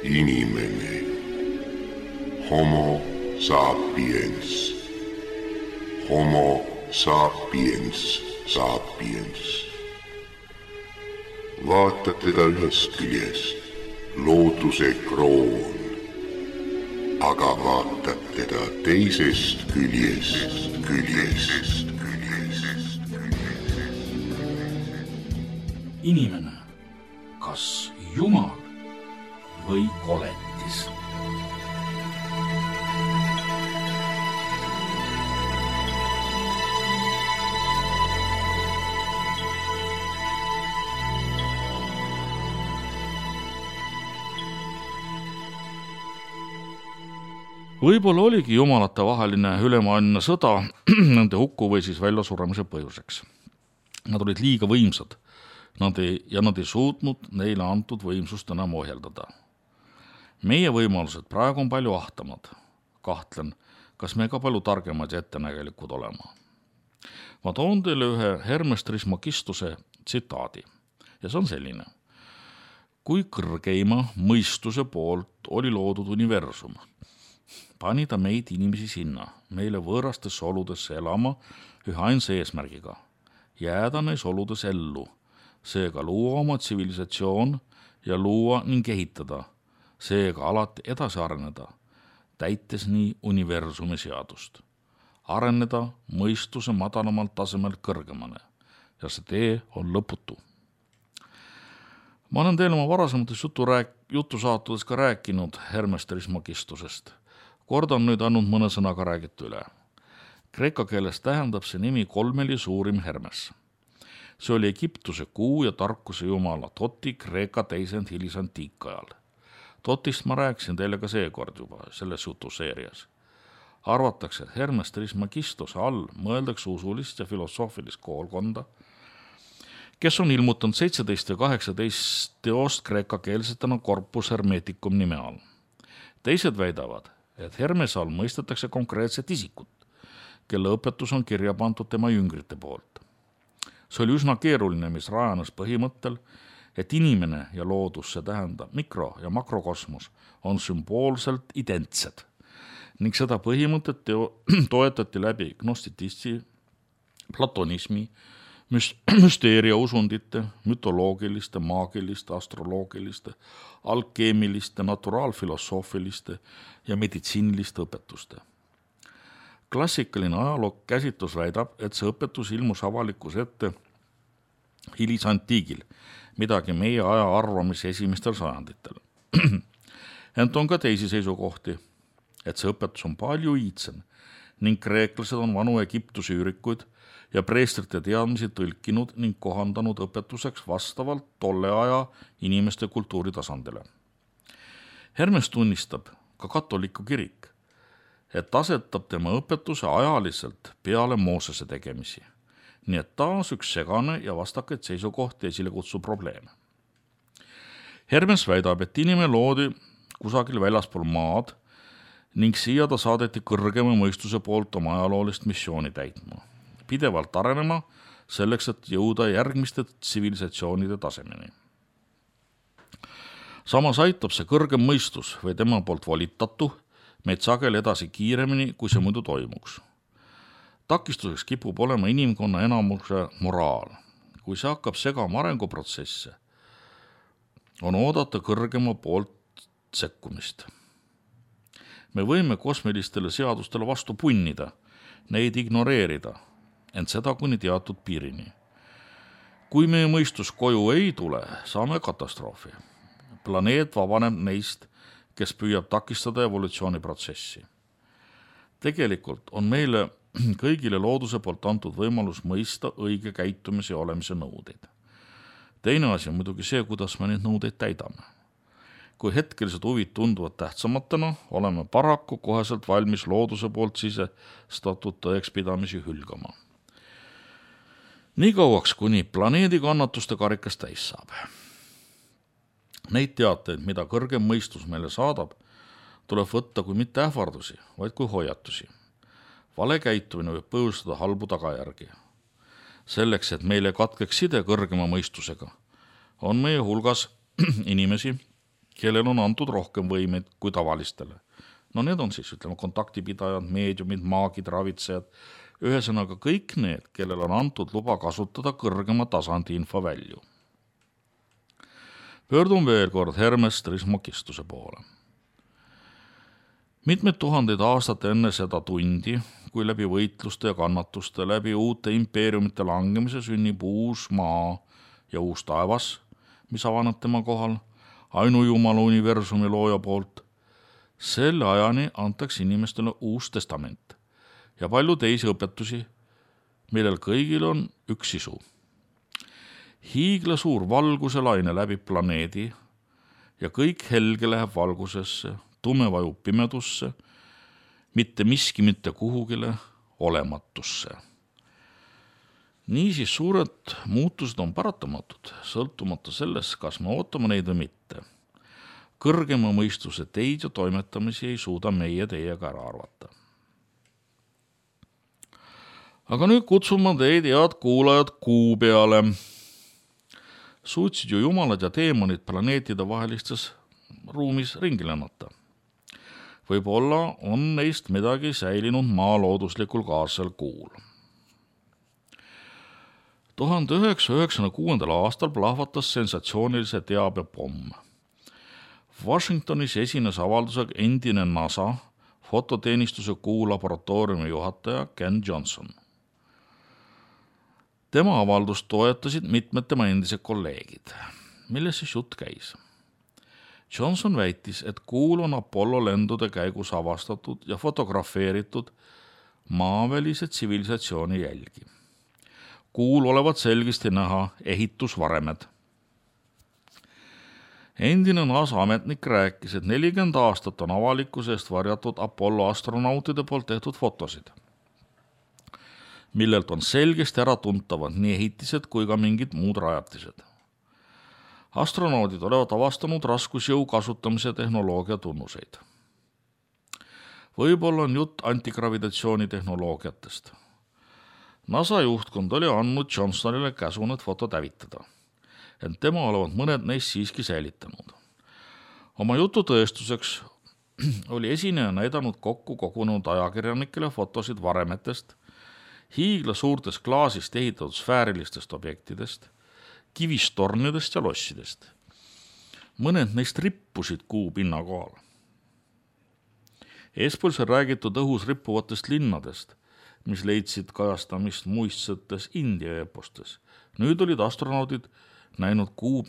Inimene. Homo sapiens. Homo sapiens sapiens. Vaata teda ühest küljest, looduse kroon, aga vaatad teda teisest küljest. Inimene, kas Jumal või koletis? Võib-olla oligi jumalate vaheline ülemaailmne sõda nende hukku või siis väljasuremise põhjuseks. Nad olid liiga võimsad nad ei suutnud neile antud võimsust enam ohjeldada. Meie võimalused praegu on palju ahtamad. Kahtlen, kas me ka palju targemad ja ettenägelikud olema. Ma toon teile ühe Hermes Trismegistuse tsitaadi ja see on selline. Kui kõrgeima mõistuse poolt oli loodud universum, pani ta meid inimesi sinna, meile võõrastesse oludesse elama ühe ainsa eesmärgiga, jääda neis oludes ellu, seega luua oma tsivilisatsioon ja luua ning ehitada, seega alati edasi areneda, täites nii universumi seadust. Areneda mõistuse madalamalt tasemelt kõrgemale ja see tee on lõputu. Ma olen teile oma varasemates jutusaatudes ka rääkinud Hermes Trismegistusest. Kordan nüüd ainult mõne sõnaga räägit üle. Kreeka keeles tähendab see nimi kolmeli suurim Hermes. See oli Egiptuse kuu ja tarkuse jumala Toti Kreeka teisend hilisantiikajal. Totist ma rääkisin teile ka seekord juba selles jutuseerias. Arvatakse, et Hermes Trismegistuse all mõeldakse usulist ja filosoofilist koolkonda, kes on ilmutanud 17 ja 18 teost kreekakeelsetena Corpus Hermeticum nime all. Teised väidavad, et Hermes all mõistetakse konkreetset isikut, kelle õpetus on kirja pandud tema jüngrite poolt. See oli üsna keeruline, mis rajanes põhimõttel, et inimene ja loodus, see tähendab mikro- ja makrokosmos, on sümboolselt identsed ning seda põhimõtet toetati läbi gnostitisti, platonismi, müsteeria usundite, mütoloogiliste, maagiliste, astroloogiliste, alkeemiliste, naturaalfilosoofiliste ja meditsiiniliste õpetuste. Klassikaline ajaloo käsitlus väidab, et see õpetus ilmus avalikus ette hilisantiigil, midagi meie aja arvamise esimestel sajanditel. Ent on ka teisi seisukohti, et see õpetus on palju iidsem ning kreeklased on vanu Egiptuse üürikuid ja preestrite teadmisi tõlkinud ning kohandanud õpetuseks vastavalt tolle aja inimeste kultuuritasandile. Hermes tunnistab ka katoliku kirik, et asetab tema õpetuse ajaliselt peale Moosese tegemisi, nii et taas üks segane ja vastakaid seisukohti esile kutsu probleeme. Hermes väidab, et inimene loodi kusagil väljaspool maad ning siia ta saadeti kõrgema mõistuse poolt oma ajaloolist missiooni täitma, pidevalt arenema selleks, et jõuda järgmiste tsivilisatsioonide tasemeni. Samas aitab see kõrgem mõistus või tema poolt volitatu meid sageli edasi kiiremini, kui see muidu toimuks. Takistuseks kipub olema inimkonna enamuse moraal. Kui see hakkab segama arenguprotsesse, on oodata kõrgema poolt sekkumist. Me võime kosmilistele seadustele vastu punnida, neid ignoreerida, ent seda kuni teatud piirini. Kui meie mõistus koju ei tule, saame katastroofi. Planeet vabaneb neist, kes püüab takistada evolutsiooniprotsessi. Tegelikult on meile kõigile looduse poolt antud võimalus mõista õige käitumise ja olemise nõudeid. Teine asi on muidugi see, kuidas me neid nõudeid täidame. Kui hetkelised huvid tunduvad tähtsamatena, oleme paraku koheselt valmis looduse poolt sisestatud tõekspidamisi hülgama. Nii kauaks, kuni planeedi kannatuste karikas täis saab. Neid teateid, mida kõrgem mõistus meile saadab, tuleb võtta kui mitte ähvardusi, vaid kui hoiatusi. Vale käitumine võib põhjustada halbu tagajärgi. Selleks, et meile katkeks side kõrgema mõistusega, on meie hulgas inimesi, kellel on antud rohkem võimeid kui tavalistele. No need on siis, kontaktipidajad, meediumid, maagid, ravitsejad, ühesõnaga kõik need, kellel on antud luba kasutada kõrgema tasandi infovälju. Pöördun veel kord Hermes Trismegistuse poole. Mitmed tuhandeid aastate enne seda tundi, kui läbi võitluste ja kannatuste, läbi uute impeeriumite langemise sünnib uus maa ja uus taevas, mis avaneb tema kohal, ainujumala universumi looja poolt, selle ajani antakse inimestele uus testament ja palju teisi õpetusi, millel kõigil on üks sisu. Hiigla suur valguse laine läbib planeedi ja kõik helge läheb valgusesse, tume vajub pimedusse, mitte miski mitte kuhugile olematusse. Niisiis suured muutused on paratamatud, sõltumata sellest, kas me ootame neid või mitte. Kõrgema mõistuse teid ja toimetamisi ei suuda meie teiega ära arvata. Aga nüüd kutsume teid, head kuulajad, kuu peale. Suutsid ju jumalad ja teemonid planeetide vahelistes ruumis ringi lennata. Võib-olla on neist midagi säilinud maa looduslikul kaarsel kuul. 1996. aastal plahvatas sensatsioonilise teabepomm. Washingtonis esines avaldusega endine NASA fototeenistuse kuu laboratooriumi juhataja Ken Johnson. Tema avaldust toetasid mitmed tema endised kolleegid. Milles siis jutt käis? Johnson väitis, et kuul on Apollo lendude käigus avastatud ja fotografeeritud maavälise tsivilisatsiooni jälgi. Kuul olevat selgesti näha ehitusvaremed. Endine NASA ametnik rääkis, et 40 aastat on avalikkuse eest varjatud Apollo astronautide poolt tehtud fotosid, millelt on selgesti ära tuntavad nii ehitised kui ka mingid muud rajatised. Astronaudid olevat avastanud raskusjõu kasutamise tehnoloogia tunnuseid. Võib-olla on jutt antigravitatsiooni tehnoloogiatest. NASA juhtkond oli andnud Johnsonile käsu need fotod hävitada, ent tema olevat mõned neist siiski säilitanud. Oma jutu tõestuseks oli esineja näidanud kokku kogunenud ajakirjanikele fotosid varemetest, hiigla suurtest klaasist ehitatud sfäärilistest objektidest, kivistornidest ja lossidest. Mõned neist rippusid kuu pinna kohal. Eespool sai räägitud õhus rippuvatest linnadest, mis leidsid kajastamist muistsetes India epostes. Nüüd olid astronaudid näinud kuu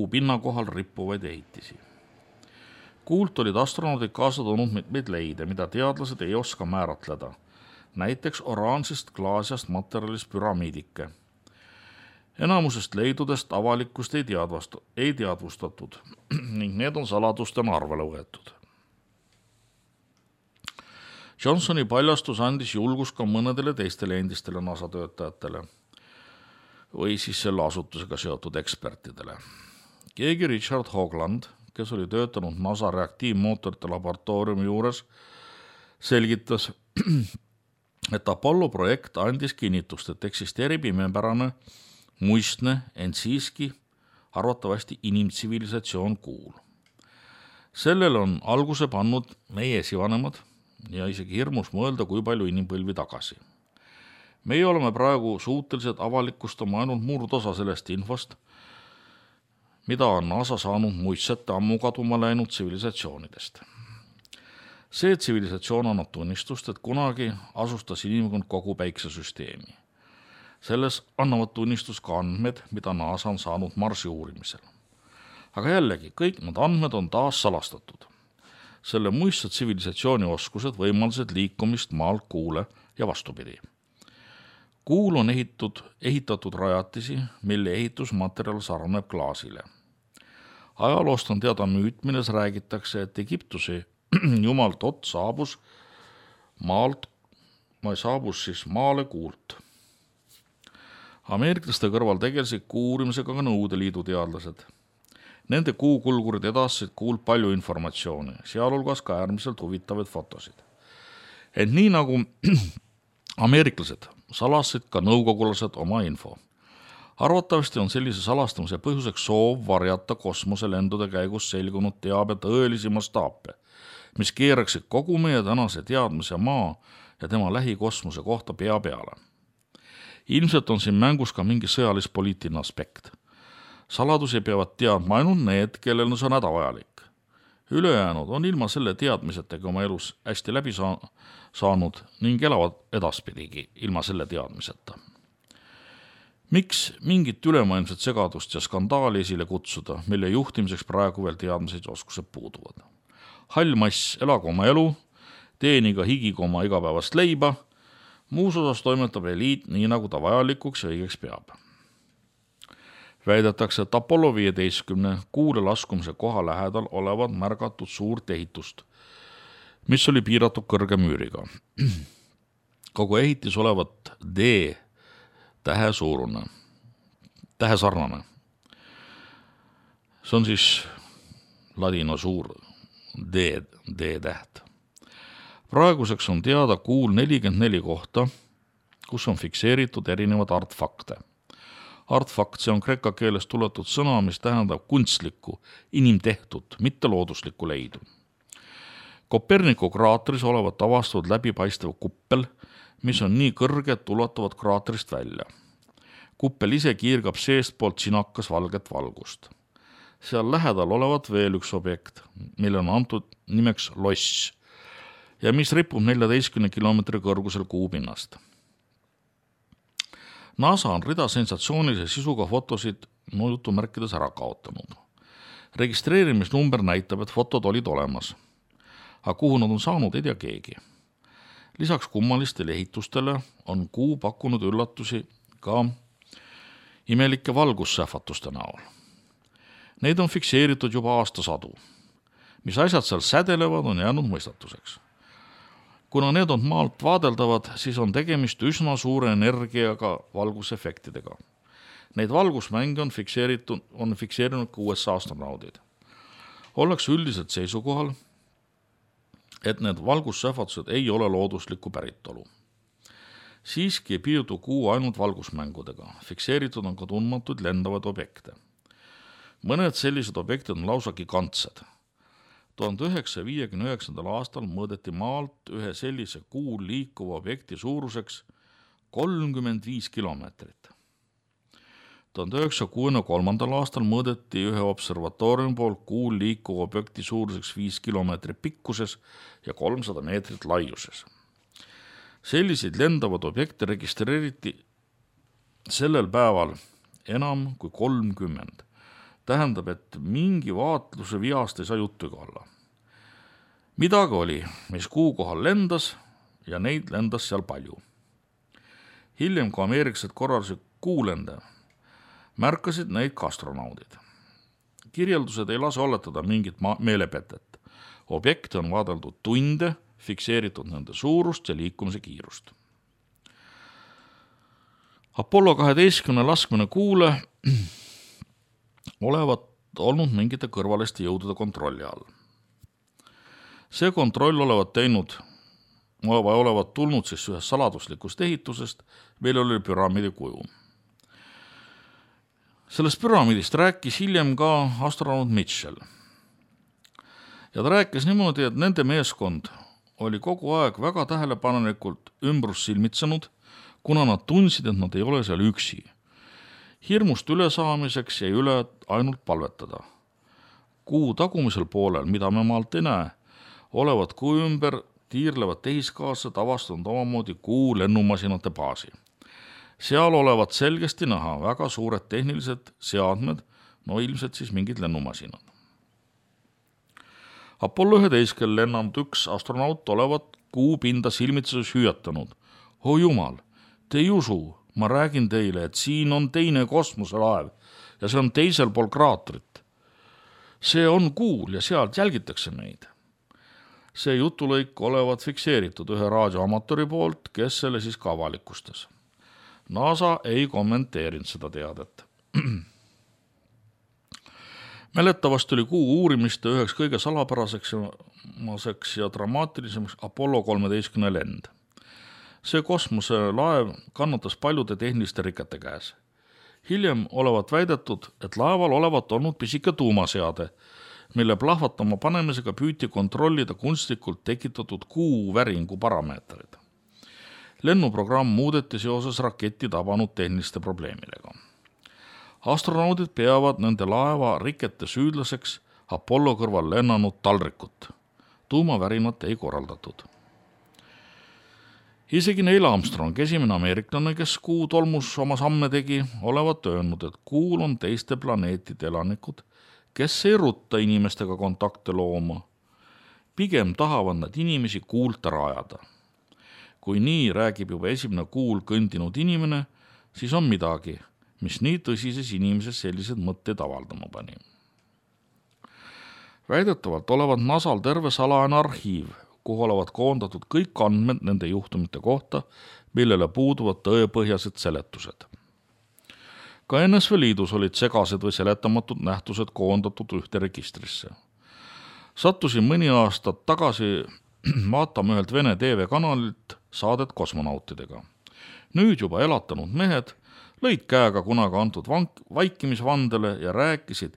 pinna kohal rippuvaid ehitisi. Kuult olid astronaudid kaasa toonud mitmeid leide, mida teadlased ei oska määratleda. Näiteks oraansist klaasjast materjalist püramiidike. Enamusest leidudest avalikkust ei teadvustatud ning need on saladustena arvele võetud. Johnsoni paljastus andis julgus ka mõnedele teistele endistele NASA töötajatele või siis selle asutusega seotud ekspertidele. Keegi Richard Hoagland, kes oli töötanud NASA reaktiivmootorite laboratooriumi juures, selgitas, et Apollo projekt andis kinnitust, et eksisteerib imepärane, muistne, ent siiski arvatavasti inimtsivilisatsioon kuul. Sellele on alguse pannud meie esivanemad ja isegi hirmus mõelda, kui palju inimpõlvi tagasi. Meie oleme praegu suutelised avalikustama ainult murdosa sellest infost, mida on NASA saanud muistsete ammu kaduma läinud tsivilisatsioonidest. See tsivilisatsioon annab tunnistust, et kunagi asustas inimkond kogu päiksesüsteemi. Selles annavad tunnistust ka andmed, mida NASA on saanud Marsi uurimisel. Aga jällegi, kõik need andmed on taas salastatud. Selle muistse tsivilisatsiooni oskused võimaldasid liikumist maalt kuule ja vastupidi. Kuul on ehitatud rajatisi, mille ehitusmaterjal sarneb klaasile. Ajaloost on teada müüt, milles räägitakse, et Egiptuse jumal Tot saabus maale kuult. Ameeriklaste kõrval tegelesid kuu uurimisega ka Nõukogude Liidu teadlased. Nende kuukulgurid edastasid kuult palju informatsiooni, sealhulgas ka äärmiselt huvitavaid fotosid. Ent nii nagu ameeriklased salasid ka nõukogulased oma info. Arvatavasti on sellise salastamise põhjuseks soov varjata kosmoselendude käigus selgunud teabe tõelisi mastaape, mis keeraksid kogu meie tänase teadmise maa ja tema lähikosmose kohta pea peale. Ilmselt on siin mängus ka mingi sõjalis-poliitiline aspekt. Saladusi peavad teadma ainult need, kellel on see hädavajalik. Ülejäänud on ilma selle teadmisetega oma elus hästi läbi saanud ning elavad edaspidigi ilma selle teadmiseta. Miks mingit ülemaailmset segadust ja skandaali esile kutsuda, mille juhtimiseks praegu veel teadmised ja oskused puuduvad? Hall mass, elagu oma elu, teeniga higiga oma igapäevast leiba, muus osas toimetab eliit nii, nagu ta vajalikuks ja õigeks peab. Väidetakse, et Apollo 15 kuule laskumise koha lähedal olevat märgatud suurt ehitust, mis oli piiratud kõrge müüriga. Kogu ehitis olevat D-tähe suurune, tähe sarnane. See on siis ladina suur D-täht. Praeguseks on teada kuul 44 kohta, kus on fikseeritud erinevad artefakte. Artefakt, see on kreeka keeles tuletud sõna, mis tähendab kunstlikku, inimtehtud, mitte looduslikku leidu. Koperniku kraatris olevat avastatud läbipaistev kuppel, mis on nii kõrge, et ulatuvad kraatrist välja. Kuppel ise kiirgab seestpoolt sinakas valget valgust. Seal lähedal olevat veel üks objekt, mille on antud nimeks loss ja mis ripub 14 kilomeetri kõrgusel kuupinnast. NASA on rida sensatsioonilise sisuga fotosid jutumärkides ära kaotanud. Registreerimisnumber näitab, et fotod olid olemas, aga kuhu nad on saanud, ei tea keegi. Lisaks kummalistele ehitustele on kuu pakkunud üllatusi ka imelike valgussähvatuste näol. Neid on fikseeritud juba aastasadu. Mis asjad seal sädelevad, on jäänud mõistatuseks. Kuna need on maalt vaadeldavad, siis on tegemist üsna suure energiaga valgusefektidega. Neid valgusmänge on fikseerinud ka USA astronaudid. Ollakse üldiselt seisukohal, et need valgussähvatused ei ole looduslikku päritolu. Siiski ei piirdu kuu ainult valgusmängudega. Fikseeritud on ka tundmatuid lendavaid objekte. Mõned sellised objektid on lausa gigantsed. 1959. aastal mõõdeti maalt ühe sellise kuul liikuva objekti suuruseks 35 kilomeetrit. 1963. aastal mõõdeti ühe observatooriumi poolt kuul liikuva objekti suuruseks 5 kilomeetrit pikkuses ja 300 meetrit laiuses. Selliseid lendavad objekte registreeriti sellel päeval enam kui 30. Tähendab, et mingi vaatluse viast ei saa juttugi olla. Midagi oli, mis kuu kohal lendas ja neid lendas seal palju. Hiljem, kui ameeriklased korraldasid kuulende, märkasid neid ka astronaudid. Kirjeldused ei lase oletada mingit meelepetet. Objekte on vaadeldud tunde, fikseeritud nende suurust ja liikumise kiirust. Apollo 12 laskmine kuule olevat olnud mingite kõrvaliste jõudude kontrolli all. See kontroll olevat tulnud siis ühest saladuslikust ehitusest, meil oli püramiidi kuju. Sellest püramiidist rääkis hiljem ka astronaut Mitchell. Ja ta rääkis niimoodi, et nende meeskond oli kogu aeg väga tähelepanelikult ümbrus silmitsenud, kuna nad tundsid, et nad ei ole seal üksi. Hirmust ülesaamiseks jäi üle ainult palvetada. Kuu tagumisel poolel, mida me maalt ei näe, olevat kuu ümber tiirlevad tehiskaaslased avastanud omamoodi kuu lennumasinate baasi. Seal olevat selgesti näha väga suured tehnilised seadmed, no ilmselt siis mingid lennumasinad. Apollo 11 lennanud üks astronaut olevat kuu pinda silmitsedes hüüatanud. O jumal, te ei usu, ma räägin teile, et siin on teine kosmoselaev ja see on teisel pool kraatrit. See on kuul ja sealt jälgitakse meid. See jutulõik olevat fikseeritud ühe raadioamatori poolt, kes selle siis ka avalikustas. NASA ei kommenteerinud seda teadet. Mäletavasti oli kuu uurimiste üheks kõige salapäraseks ja dramaatilisemaks Apollo 13 lend. See kosmoselaev kannatas paljude tehniliste rikete käes. Hiljem olevat väidetud, et laeval olevat olnud pisike tuumaseade, mille plahvatama panemisega püüti kontrollida kunstlikult tekitatud kuuväringu parameetrid. Lennuprogramm muudeti seoses raketi tabanud tehniliste probleemidega. Astronaudid peavad nende laeva rikete süüdlaseks Apollo kõrval lennanud taldrikut. Tuumavärinat ei korraldatud. Isegi Neil Armstrong, esimene ameeriklane, kes kuu tolmus oma samme tegi, olevat öelnud, et kuul on teiste planeetide elanikud, kes ei rutta inimestega kontakte looma. Pigem tahavad nad inimesi kuult ära ajada. Kui nii räägib juba esimene kuul kõndinud inimene, siis on midagi, mis nii tõsises inimeses sellised mõtteid avaldama pani. Väidetavalt olevat NASAl terve salajane arhiiv, kuhu olevat koondatud kõik andmed nende juhtumite kohta, millele puuduvad tõepõhjased seletused. Ka NSV Liidus olid segased või seletamatud nähtused koondatud ühte registrisse. Sattusin mõni aastat tagasi vaatama ühelt Vene TV-kanalilt saadet kosmonautidega. Nüüd juba elatanud mehed lõid käega kunagi antud vaikimisvandele ja rääkisid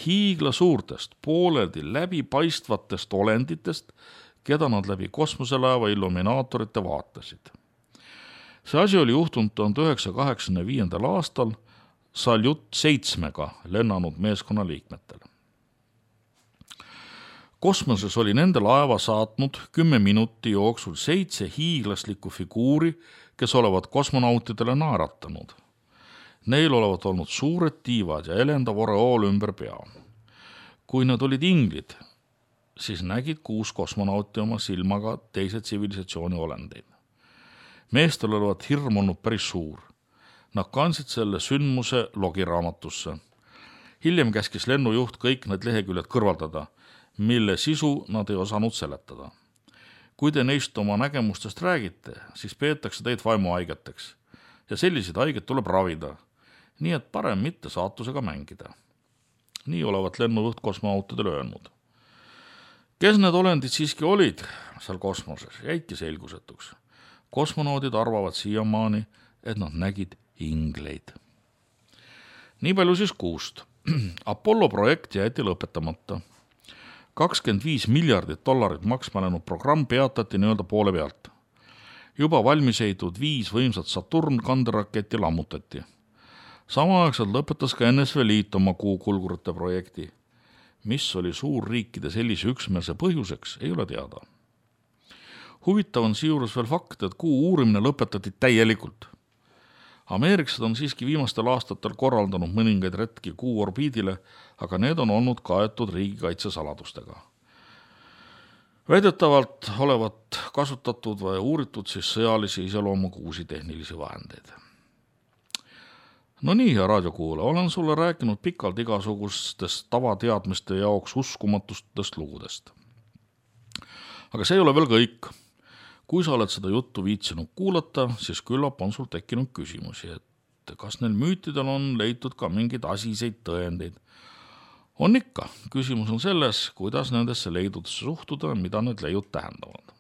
hiigla suurtest, pooleldi läbipaistvatest olenditest, keda nad läbi kosmoselaeva illuminaatorite vaatasid. See asi oli juhtunud 1985. aastal Saljut 7-ga lennanud meeskonna liikmetel. Kosmoses oli nende laeva saatnud 10 minuti jooksul 7 hiiglaslikku figuuri, kes olevat kosmonautidele naeratanud. Neil olevat olnud suured tiivad ja elendav oreool ümber pea. Kui nad olid inglid, siis nägid 6 kosmonauti oma silmaga teise tsivilisatsiooni olendeid. Meestel olevat hirm olnud päris suur. Nad kandsid selle sündmuse logiraamatusse. Hiljem käskis lennujuht kõik need leheküljed kõrvaldada, mille sisu nad ei osanud seletada. Kui te neist oma nägemustest räägite, siis peetakse teid vaimuhaigeteks ja selliseid haiget tuleb ravida, nii et parem mitte saatusega mängida. Nii olevat lennujuht kosmonautidele öelnud. Kes need olendid siiski olid seal kosmoses, jäidki selgusetuks. Kosmonaudid arvavad siiamaani, et nad nägid ingleid. Nii palju siis kuust. Apollo projekt jäeti lõpetamata. $25 miljardit maksma läinud programm peatati nii-öelda poole pealt. Juba valmis ehitatud 5 võimsat Saturn kanderaketti lammutati. Samaaegselt lõpetas ka NSV Liit oma kuukulgurite projekti. Mis oli suurriikide sellise üksmeelse põhjuseks, ei ole teada. Huvitav on siijuures veel fakt, et kuu uurimine lõpetati täielikult. Ameeriksed on siiski viimastel aastatel korraldanud mõningaid retki kuu orbiidile, aga need on olnud kaetud riigikaitsesaladustega. Väidetavalt olevat kasutatud või uuritud siis sõjalisi iseloomuga uusi tehnilisi vahendeid. No nii, hea raadiokuulaja, olen sulle rääkinud pikalt igasugustest tavateadmiste jaoks uskumatustest lugudest. Aga see ei ole veel kõik. Kui sa oled seda juttu viitsinud kuulata, siis küllap on sul tekkinud küsimusi, et kas neil müütidel on leitud ka mingeid asiseid tõendeid. On ikka. Küsimus on selles, kuidas nendesse leidudesse suhtuda, mida need leiud tähendavad.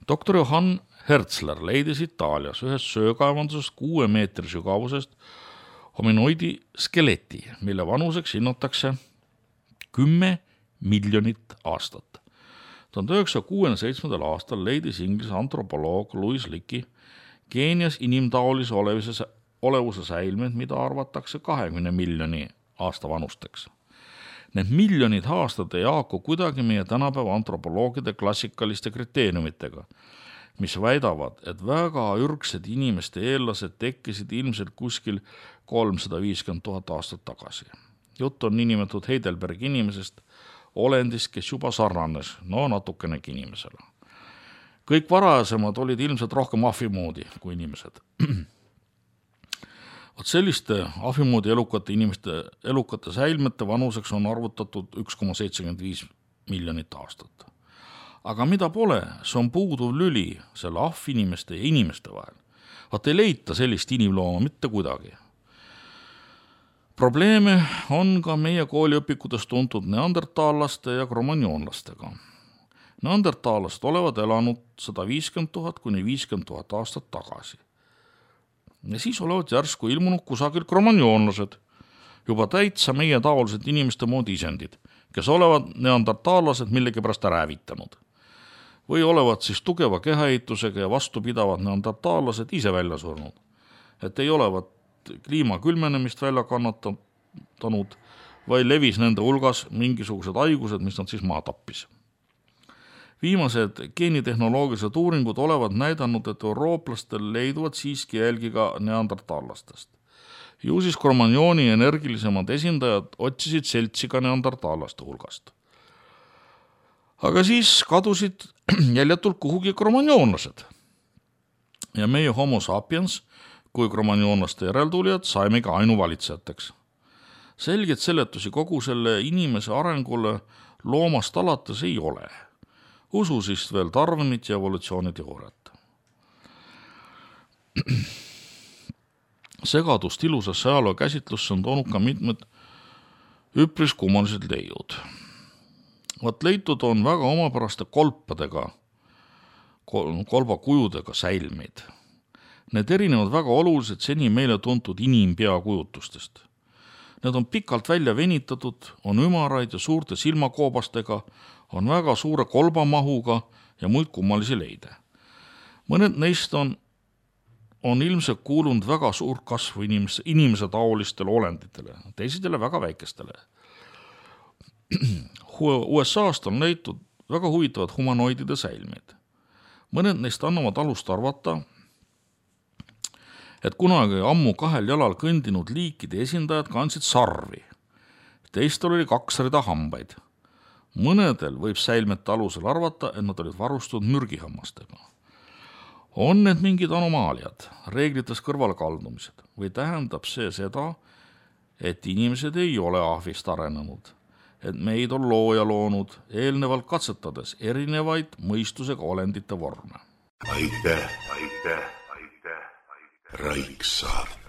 Doktor Johann Herzler leidis Itaalias ühest söökaevandusest 6 meetri sügavusest hominoidi skeleti, mille vanuseks hinnatakse 10 miljonit aastat. 1967. aastal leidis Inglise antropoloog Louis Leakey Keenias inimtaolise olevuse säilmeid, mida arvatakse 20 miljoni aasta vanusteks. Need miljonid aastad ei haaku kuidagi meie tänapäeva antropoloogide klassikaliste kriteeriumitega, mis väidavad, et väga ürgsed inimeste eellased tekkisid ilmselt kuskil 350 000 aastat tagasi. Jutt on niinimetatud Heidelbergi inimesest, olendist, kes juba sarnanes, natukenegi inimesele. Kõik varasemad olid ilmselt rohkem ahvimoodi kui inimesed. Vot selliste ahvimoodi elukate säilmete vanuseks on arvutatud 1,75 miljonit aastat. Aga mida pole, see on puuduv lüli selle ahvinimeste ja inimeste vahel. Vot ei leita sellist inimlooma mitte kuidagi. Probleeme on ka meie kooliõpikutes tuntud neandertaalaste ja kromagnoonlastega. Neandertaalast olevat elanud 150 000 kuni 50 000 aastat tagasi. Ja siis olevat järsku ilmunud kusagil kromanjoonlased, juba täitsa meie taolised inimeste moodi isendid, kes olevat neandertaallased millegipärast räävitanud. Või olevat siis tugeva kehaehitusega ja vastupidavad neandertaallased ise välja surnud, et ei olevat kliima külmenemist välja kannatanud, või levis nende hulgas mingisugused haigused, mis nad siis maha tappis. Viimased geenitehnoloogilised uuringud olevat näidanud, et eurooplastel leiduvad siiski jälgi ka neandertaallastest. Ju siis kromanjooni energilisemad esindajad otsisid seltsi ka neandertaallaste hulgast. Aga siis kadusid jäljatult kuhugi kromanjoonlased. Ja meie homo sapiens kui kromanjoonlaste järeltulijad saimegi ainuvalitsejateks. Selget seletusi kogu selle inimese arengule loomast alates ei ole. Usu siis veel Darwinit ja evolutsiooniteooriat. Segadust ilusasse ajaloo käsitlusse on toonud ka mitmed üpris kummalised leiud. Leitud on väga omapäraste kolpadega, kolbakujudega säilmeid. Need erinevad väga oluliselt seni meile tuntud inimpeakujutustest. Need on pikalt välja venitatud, on ümaraid ja suurte silmakoobastega, on väga suure kolbamahuga ja muid kummalisi leide. Mõned neist on ilmselt kuulunud väga suur kasvu inimese taolistele olenditele, teised väga väikestele. USA-st on leitud väga huvitavad humanoidide säilmeid. Mõned neist annavad alust arvata, et kunagi ammu 2 jalal kõndinud liikide esindajad kandsid sarvi. Teistel oli 2 rida hambaid. Mõnedel võib säilmete alusel arvata, et nad olid varustatud mürgihammastega. On need mingid anomaaliad, reeglites kõrvalkaldumised või tähendab see seda, et inimesed ei ole ahvist arenenud, et meid on looja loonud eelnevalt katsetades erinevaid mõistusega olendite vorme. Aitäh. Raiksaart.